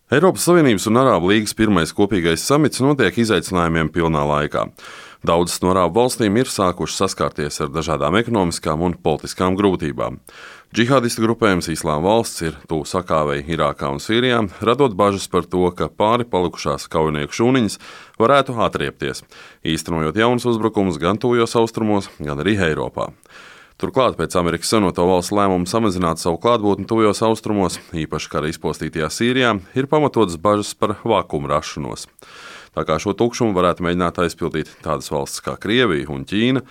Eiropas Savienības un Arābu līgas pirmais kopīgais samits notiek izaicinājumiem pilnā laikā. Daudzas no Arābu valstīm ir sākušas saskarties ar dažādām ekonomiskām un politiskām grūtībām. Džihādistu grupējums Islāma valsts ir tuvu sakāvei Irākā un Sīrijā, radot bažas par to, ka pāri palikušās kaujinieku šūniņas varētu atriepties, īstenojot jaunus uzbrukumus gan tuvajos austrumos, gan arī Eiropā. Turklāt pēc Amerikas Savienoto Valstu lēmuma samazināt savu klātbūtni tuvajos austrumos, īpaši kara izpostītajā Sīrijā, ir pamatotas bažas par vakuuma rašanos. Tā kā šo tukšumu varētu mēģināt aizpildīt tādas valstis kā Krievija un Ķīna,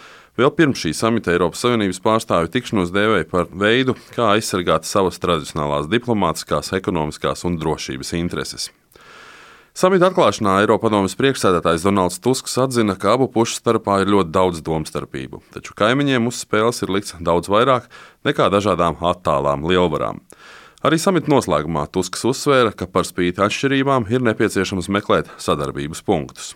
vēl pirms šī samita Eiropas Savienības pārstāvju tikšanos dēvēja par veidu, kā aizsargāt savas tradicionālās diplomātiskās, ekonomiskās un drošības intereses. Samita atklāšanā Eiropadomes priekšsēdētājs Donalds Tusks atzina, ka abu pušu starpā ir ļoti daudz domstarpību, taču kaimiņiem uz spēles ir likts daudz vairāk nekā dažādām attālām lielvarām. Arī samita noslēgumā Tusks uzsvēra, ka par spīti atšķirībām ir nepieciešams meklēt sadarbības punktus.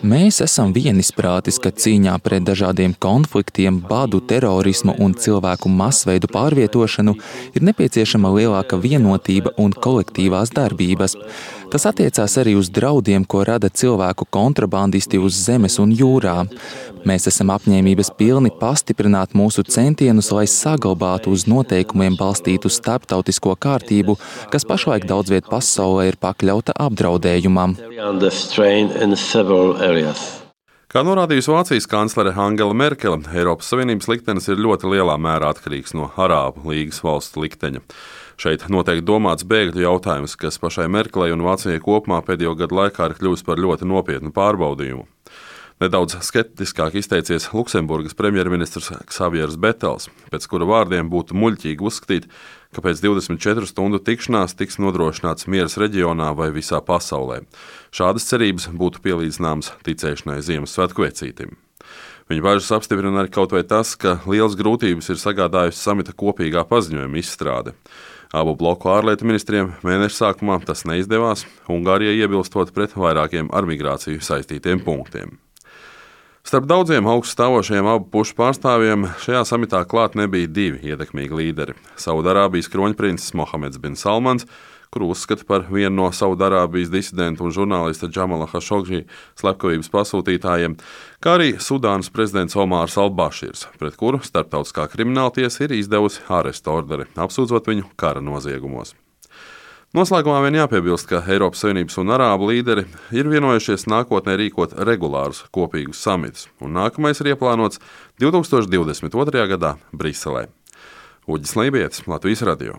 Mēs esam vienisprātis, ka cīņā pret dažādiem konfliktiem, badu, terorismu un cilvēku masveidu pārvietošanu ir nepieciešama lielāka vienotība un kolektīvās darbības. Tas attiecās arī uz draudiem, ko rada cilvēku kontrabandisti uz zemes un jūrā. Mēs esam apņēmības pilni pastiprināt mūsu centienus, lai saglabātu uz noteikumiem balstītu starptautisko kārtību, kas pašlaik daudz viet pasaulē ir pakļauta apdraudējumam. Kā norādījusi Vācijas kanclere Angela Merkele, Eiropas Savienības liktenis ir ļoti lielā mērā atkarīgs no Arābu līgas valstu likteņa. Šeit noteikti domāts bēgļu jautājums, kas pašai Merkelei un Vācijai kopumā pēdējo gadu laikā ir kļuvis par ļoti nopietnu pārbaudījumu. Nedaudz skeptiskāk izteicies Luksemburgas premjerministrs Xaviers Betels, pēc kura vārdiem būtu muļķīgi uzskatīt, ka pēc 24 stundu tikšanās tiks nodrošināts miers reģionā vai visā pasaulē. Šādas cerības būtu pielīdzināmas ticēšanai Ziemassvētku vecītim. Viņa bažas apstiprina arī kaut vai tas, ka liels grūtības ir sagādājusi samita kopīgā paziņojuma izstrāde. Abu bloku ārlietu ministriem mēneša sākumā tas neizdevās, Ungārijai iebilstot pret vairākiem ar migrāciju saistītiem punktiem. Starp daudziem augststāvošajiem abu pušu pārstāvjiem šajā samitā klāt nebija divi ietekmīgi līderi - Saudarābijas kroņprinces Mohameds bin Salmans, kuru uzskata par vienu no Saudarābijas disidentu un žurnālista Džamala Hašogži slepkavības pasūtītājiem, kā arī Sudānas prezidents Omārs al-Baširs, pret kuru starptautiskā krimināltiesa ir izdevusi ārestu orderi, apsūdzot viņu kara noziegumos. Noslēgumā vien jāpiebilst, ka Eiropas Savienības un Arābu līderi ir vienojušies nākotnē rīkot regulārus kopīgus samitus, un nākamais ir ieplānots 2022. gadā Briselē. Uģis Lībietis, Latvijas radio.